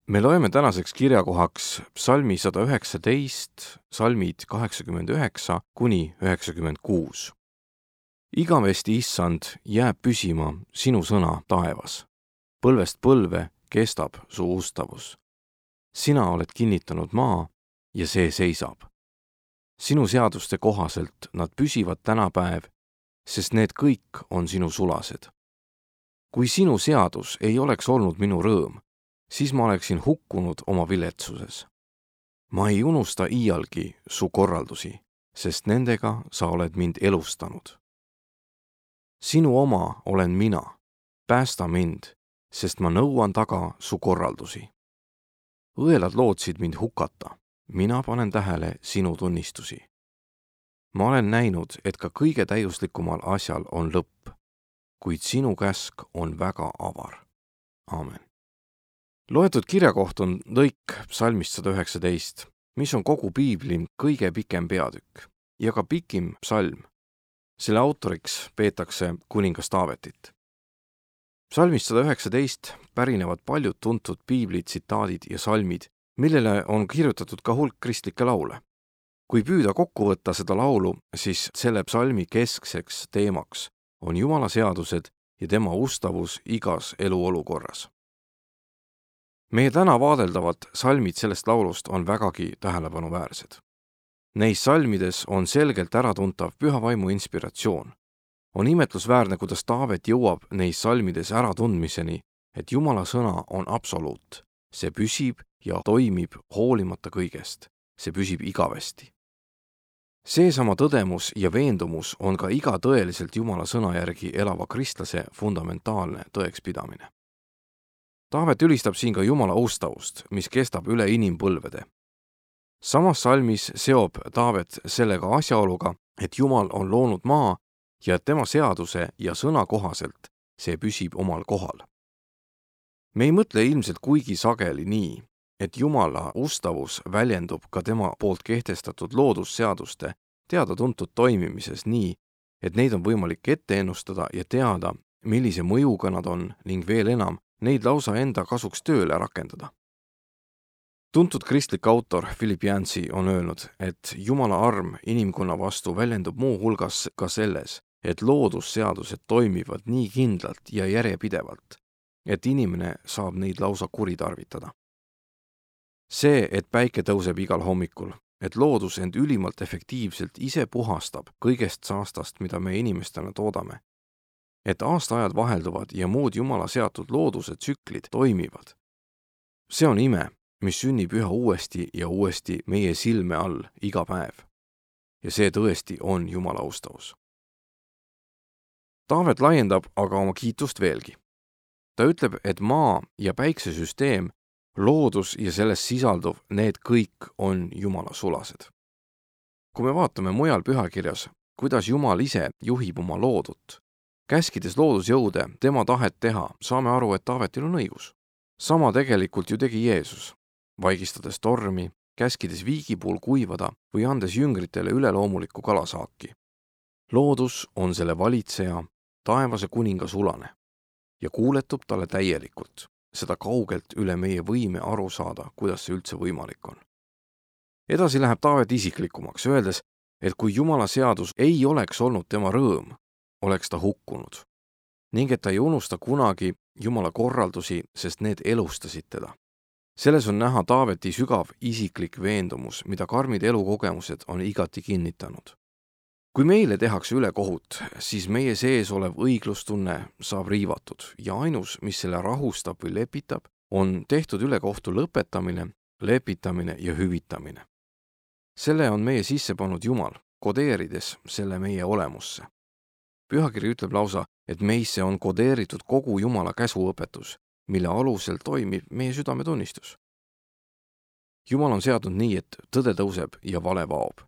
Me loeme tänaseks kirjakohaks psalmi 119, salmid 89 kuni 96. Igavesti, issand, jääb püsima sinu sõna taevas. Põlvest põlve kestab su ustavus. Sina oled kinnitanud maa ja see seisab. Sinu seaduste kohaselt nad püsivad tänapäev, sest need kõik on sinu sulased. Kui sinu seadus ei oleks olnud minu rõõm, siis ma oleksin hukkunud oma viletsuses. Ma ei unusta iialgi su korraldusi, sest nendega sa oled mind elustanud. Sinu oma olen mina, päästa mind, sest ma nõuan taga su korraldusi. Õelad lootsid mind hukata, mina panen tähele sinu tunnistusi. Ma olen näinud, et ka kõige täiuslikumal asjal on lõpp, kuid sinu käsk on väga avar. Aamen. Loetud kirjakoht on lõik psalmist 119, mis on kogu piibli kõige pikem peatükk ja ka pikim psalm. Selle autoriks peetakse kuningas Taavetit. Psalmist 119 pärinevad paljud tuntud piibli tsitaadid ja salmid, millele on kirjutatud ka hulk kristlikke laule. Kui püüda kokku võtta seda laulu, siis selle psalmi keskseks teemaks on Jumala seadused ja tema ustavus igas eluolukorras. Meie täna vaadeldavad salmid sellest laulust on vägagi tähelepanuväärsed. Neis salmides on selgelt äratuntav püha vaimu inspiratsioon. On imetlusväärne, kuidas Taavet jõuab neis salmides äratundmiseni, et Jumala sõna on absoluut. See püsib ja toimib hoolimata kõigest. See püsib igavesti. Seesama tõdemus ja veendumus on ka iga tõeliselt Jumala sõna järgi elava kristlase fundamentaalne tõekspidamine. Taavet ülistab siin ka Jumala ustavust, mis kestab üle inimpõlvede. Samas salmis seob Taavet sellega asjaoluga, et Jumal on loonud maa ja et tema seaduse ja sõna kohaselt see püsib omal kohal. Me ei mõtle ilmselt kuigi sageli nii, et Jumala ustavus väljendub ka tema poolt kehtestatud loodusseaduste teada-tuntud toimimises nii, et neid on võimalik ette ennustada ja teada, millise mõjuga nad on ning veel enam, neid lausa enda kasuks tööle rakendada. Tuntud kristlik autor Philip Yancey on öelnud, et Jumala arm inimkonna vastu väljendub muu hulgas ka selles, et loodusseadused toimivad nii kindlalt ja järjepidevalt, et inimene saab neid lausa kuritarvitada. See, et päike tõuseb igal hommikul, et loodus end ülimalt efektiivselt ise puhastab kõigest saastast, mida me inimestena toodame, et aastaajad vahelduvad ja muud Jumala seatud looduse tsüklid toimivad. See on ime, mis sünnib üha uuesti ja uuesti meie silme all iga päev. Ja see tõesti on Jumala ustavus. Taavet laiendab aga oma kiitust veelgi. Ta ütleb, et maa ja päiksesüsteem, loodus ja selles sisalduv, need kõik on Jumala sulased. Kui me vaatame mujal pühakirjas, kuidas Jumal ise juhib oma loodut, käskides loodusjõude tema tahet teha, saame aru, et Taavetil on õigus. Sama tegelikult ju tegi Jeesus, vaigistades tormi, käskides viigipuul kuivada või andes jüngritele üleloomulikku kalasaaki. Loodus on selle valitseja, taevase kuninga sulane ja kuuletub talle täielikult, seda kaugelt üle meie võime aru saada, kuidas see üldse võimalik on. Edasi läheb Taavet isiklikumaks, öeldes, et kui Jumala seadus ei oleks olnud tema rõõm, oleks ta hukkunud ning et ta ei unusta kunagi Jumala korraldusi, sest need elustasid teda. Selles on näha Taaveti sügav isiklik veendumus, mida karmid elukogemused on igati kinnitanud. Kui meile tehakse ülekohut, siis meie sees olev õiglustunne saab riivatud ja ainus, mis selle rahustab või lepitab, on tehtud ülekohtu lõpetamine, lepitamine ja hüvitamine. Selle on meie sisse pannud Jumal, kodeerides selle meie olemusse. Pühakiri ütleb lausa, et meisse on kodeeritud kogu Jumala käsuõpetus, mille alusel toimib meie südametunnistus. Jumal on seadnud nii, et tõde tõuseb ja vale vaob,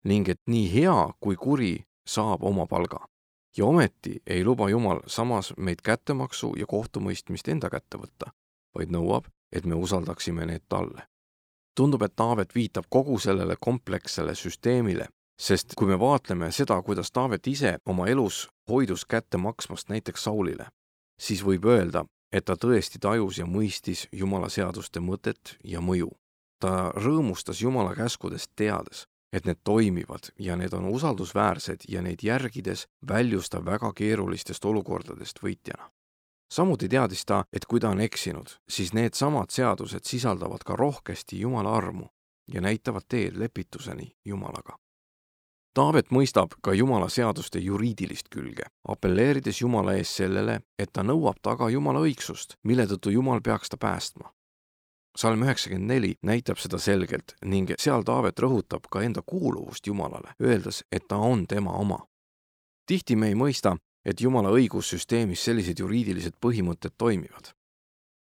ning et nii hea kui kuri saab oma palga. Ja ometi ei luba Jumal samas meid kättemaksu ja kohtumõistmist enda kätte võtta, vaid nõuab, et me usaldaksime need talle. Tundub, et Taavet viitab kogu sellele komplekssele süsteemile, sest kui me vaatleme seda, kuidas Taavet ise oma elus hoidus kätte maksmast näiteks Saulile, siis võib öelda, et ta tõesti tajus ja mõistis Jumala seaduste mõtet ja mõju. Ta rõõmustas Jumala käskudest teades, et need toimivad ja need on usaldusväärsed ja neid järgides väljus ta väga keerulistest olukordadest võitjana. Samuti teadis ta, et kui ta on eksinud, siis need samad seadused sisaldavad ka rohkesti Jumala armu ja näitavad teed lepituseni Jumalaga. Taavet mõistab ka Jumala seaduste juriidilist külge, apelleerides Jumala ees sellele, et ta nõuab taga Jumala õigsust, mille tõttu Jumal peaks ta päästma. Salm 94 näitab seda selgelt ning seal Taavet rõhutab ka enda kuuluvust Jumalale, öeldes, et ta on tema oma. Tihti me ei mõista, et Jumala õigussüsteemis sellised juriidilised põhimõtted toimivad.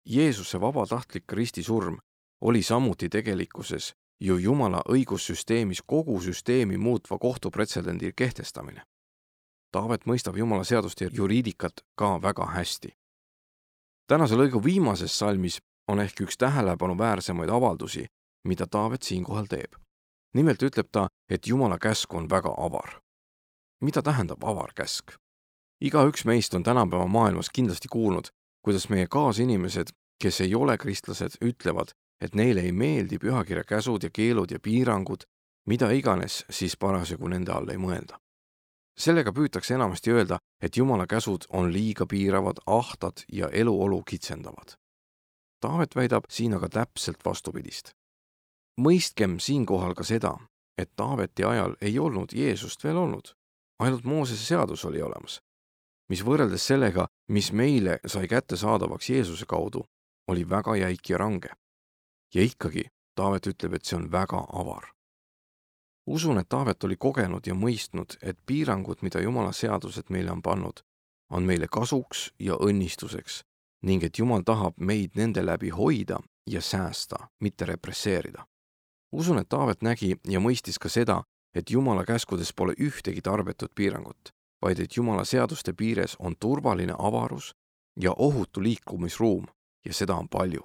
Jeesuse vabatahtlik ristisurm oli samuti tegelikkuses ju Jumala õigussüsteemis kogu süsteemi muutva kohtupretsedendi kehtestamine. Taavet mõistab Jumala seaduste juriidikat ka väga hästi. Tänase lõigu viimases salmis on ehk üks tähelepanu-väärsemaid avaldusi, mida Taavet siinkohal teeb. Nimelt ütleb ta, et Jumala käsk on väga avar. Mida tähendab avar käsk? Igaüks meist on tänapäeva maailmas kindlasti kuulnud, kuidas meie kaasinimesed, kes ei ole kristlased, ütlevad, et neile ei meeldi pühakirja käsud ja keelud ja piirangud, mida iganes siis parasjagu nende all ei mõelda. Sellega püütakse enamasti öelda, et Jumala käsud on liiga piiravad, ahtad ja eluolu kitsendavad. Taavet väidab siin aga täpselt vastupidist. Mõistkem siinkohal ka seda, et Taaveti ajal ei olnud Jeesust veel olnud, ainult Moosese seadus oli olemas, mis võrreldes sellega, mis meile sai kättesaadavaks Jeesuse kaudu, oli väga jäik ja range. Ja ikkagi Taavet ütleb, et see on väga avar. Usun, et Taavet oli kogenud ja mõistnud, et piirangud, mida Jumala seadused meile on pannud, on meile kasuks ja õnnistuseks ning et Jumal tahab meid nende läbi hoida ja säästa, mitte represseerida. Usun, et Taavet nägi ja mõistis ka seda, et Jumala käskudes pole ühtegi tarbetut piirangut, vaid et Jumala seaduste piires on turvaline avarus ja ohutu liikumisruum ja seda on palju.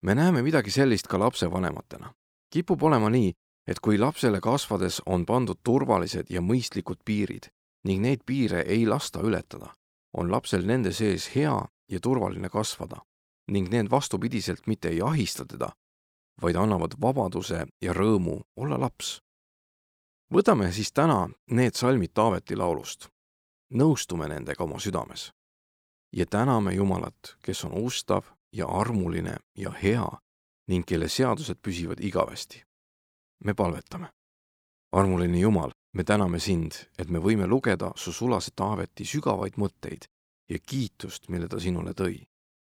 Me näeme midagi sellist ka lapsevanematena. Kipub olema nii, et kui lapsele kasvades on pandud turvalised ja mõistlikud piirid ning neid piire ei lasta ületada, on lapsel nende sees hea ja turvaline kasvada ning need vastupidiselt mitte ei ahista teda, vaid annavad vabaduse ja rõõmu olla laps. Võtame siis täna need salmid Taaveti laulust. Nõustume nendega oma südames ja täname Jumalat, kes on ustav ja armuline ja hea ning kelle seadused püsivad igavesti. Me palvetame. Armuline Jumal, me täname sind, et me võime lugeda su sulase Taaveti sügavaid mõtteid ja kiitust, mille ta sinule tõi.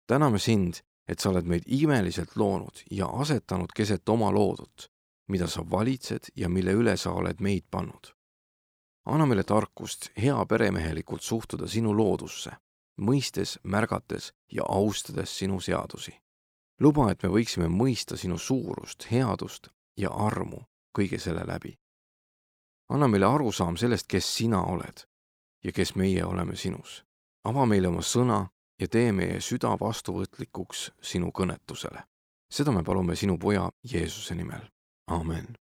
Täname sind, et sa oled meid imeliselt loonud ja asetanud keset oma loodut, mida sa valitsed ja mille üle sa oled meid pannud. Anna meile tarkust hea peremehelikult suhtuda sinu loodusse, mõistes, märgates ja austades sinu seadusi. Luba, et me võiksime mõista sinu suurust, headust ja armu kõige selle läbi. Anna meile arusaam sellest, kes sina oled ja kes meie oleme sinus. Ava meile oma sõna ja tee meie süda vastuvõtlikuks sinu kõnetusele. Seda me palume sinu poja Jeesuse nimel. Amen.